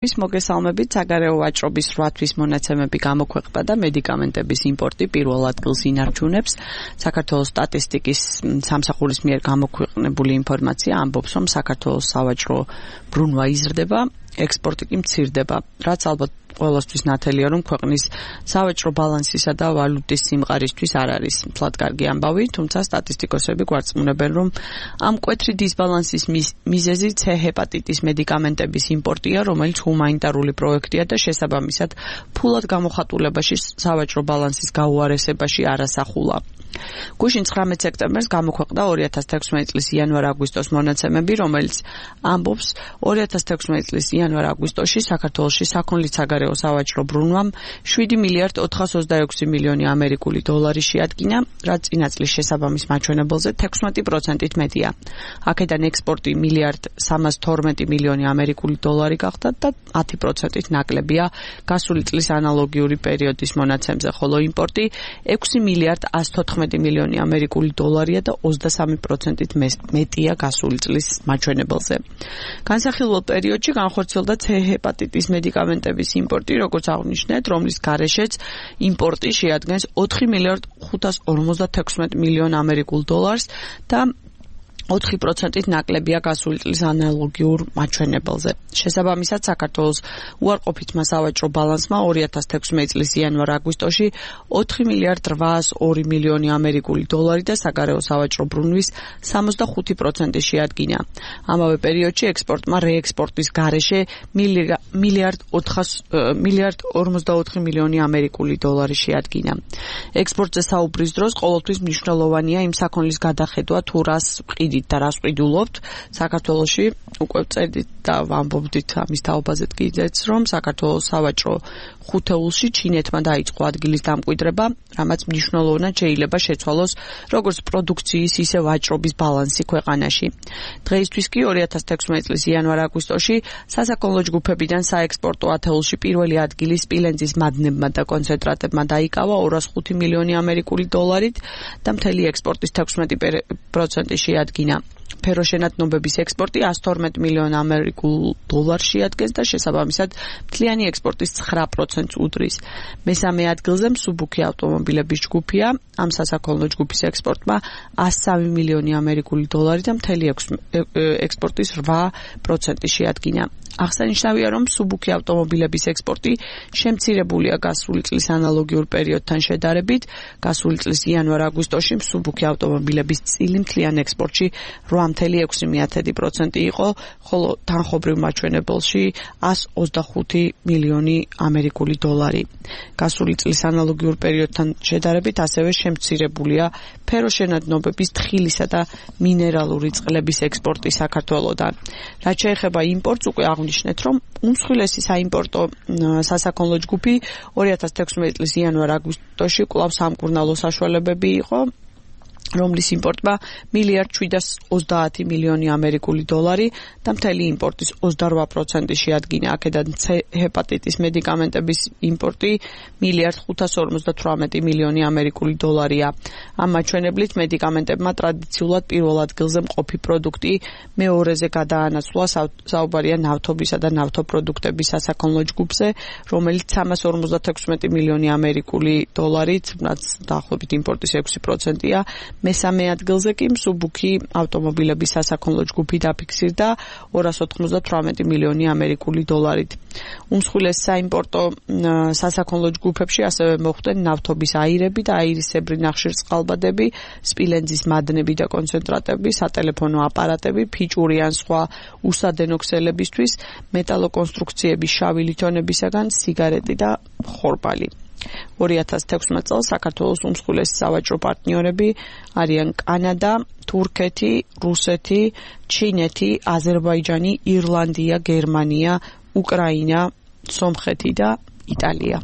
ის მოგესალმებით, საგარეო ვაჭრობის 8 თვის მონაცემები გამოქვეყნდა და მედიკამენტების იმპორტი პირველ ადგილს ინარჩუნებს. საქართველოს სტატისტიკის სამსახურის მიერ გამოქვეყნებული ინფორმაცია ამბობს, რომ საქართველოს სავაჭრო ბრუნვა იზრდება, ექსპორტი კი მცირდება, რაც ალბათ ყველასთვის ნათელია, რომ ქვეყნის სავაჭრო ბალანსისა და ვალუტის სიმყარისთვის არ არის მთლად კარგი ამბავი, თუმცა სტატისტიკოსები გვარწმუნებენ, რომ ამ მკვეთრი დისბალანსის მიზეზი C ჰეპატიტის მედიკამენტების იმპორტია, რომელიც ჰუმანიტარული პროექტია და შესაბამისად ფულად გამოხატულებაში სავაჭრო ბალანსის გაუარესებაში არასახულა. გუშინ 19 სექტემბერს გამოქვეყნდა 2016 წლის იანვარ-აგვისტოს მონაცემები, რომელიც ამბობს 2016 წლის იანვარ-აგვისტოში საქართველოში საქონლის საგარეო სავაჭრო ბრუნვამ 7 მილიარდ 426 მილიონი ამერიკული დოლარი შეადგინა, რაც წინა წლის შესაბამის მაჩვენებელზე 16%-ით მეტია. აქედან ექსპორტი მილიარდ 312 მილიონი ამერიკული დოლარი გახდა და 10%-ით ნაკლებია გასული წლის ანალოგიური პერიოდის მონაცემზე, ხოლო იმპორტი 6 მილიარდ 114 მილიონი ამერიკული დოლარია და 23%-ით მეტია გასული წლის მაჩვენებელზე. განსახილველ პერიოდში განხორციელდა C ჰეპატიტის მედიკამენტების იმპორტი, როგორც აღნიშნეთ, რომლის გარეშეც იმპორტი შეადგენს 4 მილიარდ 556 მილიონ ამერიკულ დოლარს და 4%-ით ნაკლებია გასული წლის ანალოგიურ მაჩვენებელზე. შესაბამისად, საქართველოს უარყოფითმა სავაჭრო ბალანსმა 2016 წლის იანვარ-აგვისტოში 4 მილიარდ 802 მილიონი ამერიკული დოლარი და საგარეო სავაჭრო ბრუნვის 65% შეადგინა. ამავე პერიოდში ექსპორტმა რეექსპორტის გარეშე მილიარდ 44 მილიონი ამერიკული დოლარი შეადგინა. ექსპორტზე საუბრის დროს ყოველთვის მნიშვნელოვანია იმ საქონლის გადახედვა, თუ რას ვყიდით და რას ვყიდულობთ. საქართველოში უკვე წერდით და ვამბობდით ამის თაობაზე კიდეც, რომ საქართველოს სავაჭრო ხუთეულში ჩინეთმა დაიწყო ადგილის დამკვიდრება, რამაც მნიშვნელოვნად შეიძლება შეცვალოს როგორც პროდუქციის, ისე ვაჭრობის ბალანსი ქვეყანაში. დღეისთვის კი 2016 წლის იანვარ-აგვისტოში სასაქონლო ჯგუფებიდან საექსპორტო ათეულში პირველი ადგილი სპილენძის მადნებმა და კონცენტრატებმა დაიკავა 205 მილიონი ამერიკული დოლარით და მთელი ექსპორტის 16% შეადგინა. ფეროშენადნობების ექსპორტი 112 მილიონ ამერიკულ დოლარს შეადგენს და შესაბამისად მთლიანი ექსპორტის 9%-ს უდრის. მესამე ადგილზე მსუბუქი ავტომობილების ჯგუფია. ამ სასაქონლო ჯგუფის ექსპორტმა 103 მილიონი ამერიკული დოლარი და მთელი ექსპორტის 8% შეადგინა. აღსანიშნავია, რომ მსუბუქი ავტომობილების ექსპორტი შემცირებულია გასული წლის ანალოგიურ პერიოდთან შედარებით. გასული წლის იანვარ-აგვისტოში მსუბუქი ავტომობილების წილი მთლიან ექსპორტში 8.6% იყო, ხოლო თანხობრივ მაჩვენებელში 125 მილიონი ამერიკული დოლარი. გასული წლის ანალოგიურ პერიოდთან შედარებით ასევე შემცირებულია ფეროშენადნობების თხილისა და მინერალური წყლების ექსპორტი საქართველოდან. რაც შეეხება იმპორტს, უკვე აღნიშნეთ, რომ უმსხვილესი საიმპორტო სასაქონლო ჯგუფი 2016 წლის იანვარ-აგვისტოში კვლავ სამკურნალო საშუალებები იყო, რომლის იმპორტმა მილიარდ 730 მილიონი ამერიკული დოლარი და მთელი იმპორტის 28% შეადგინა. აქედან C ჰეპატიტის მედიკამენტების იმპორტი მილიარდ 558 მილიონი ამერიკული დოლარია. ამ მაჩვენებლით მედიკამენტებმა ტრადიციულად პირველ ადგილზე მყოფი პროდუქტი მეორეზე გადაანაცვლა, საუბარია ნავთობისა და ნავთობპროდუქტების სასაქონლო ჯგუფზე, რომელიც 356 მილიონი ამერიკული დოლარით, რაც დაახლოებით იმპორტის 6%-ია. მესამე ადგილზე კი მსუბუქი ავტომობილების სასაქონლო ჯგუფი დაფიქსირდა 298 მილიონი ამერიკული დოლარით. უმსხვილეს საიმპორტო სასაქონლო ჯგუფებში ასევე მოხვდნენ ნავთობის აირები და აირისებრი ნახშირწყალბადები, სპილენძის მადნები და კონცენტრატები, სატელეფონო აპარატები, ფიჭური ან სხვა უსადენო ქსელებისთვის, მეტალოკონსტრუქციების შავი ლითონებისაგან, სიგარეტი და ხორბალი. 2016 წელს საქართველოს უმსხვილესი სავაჭრო პარტნიორები არიან კანადა, თურქეთი, რუსეთი, ჩინეთი, აზერბაიჯანი, ირლანდია, გერმანია, უკრაინა, სომხეთი და იტალია.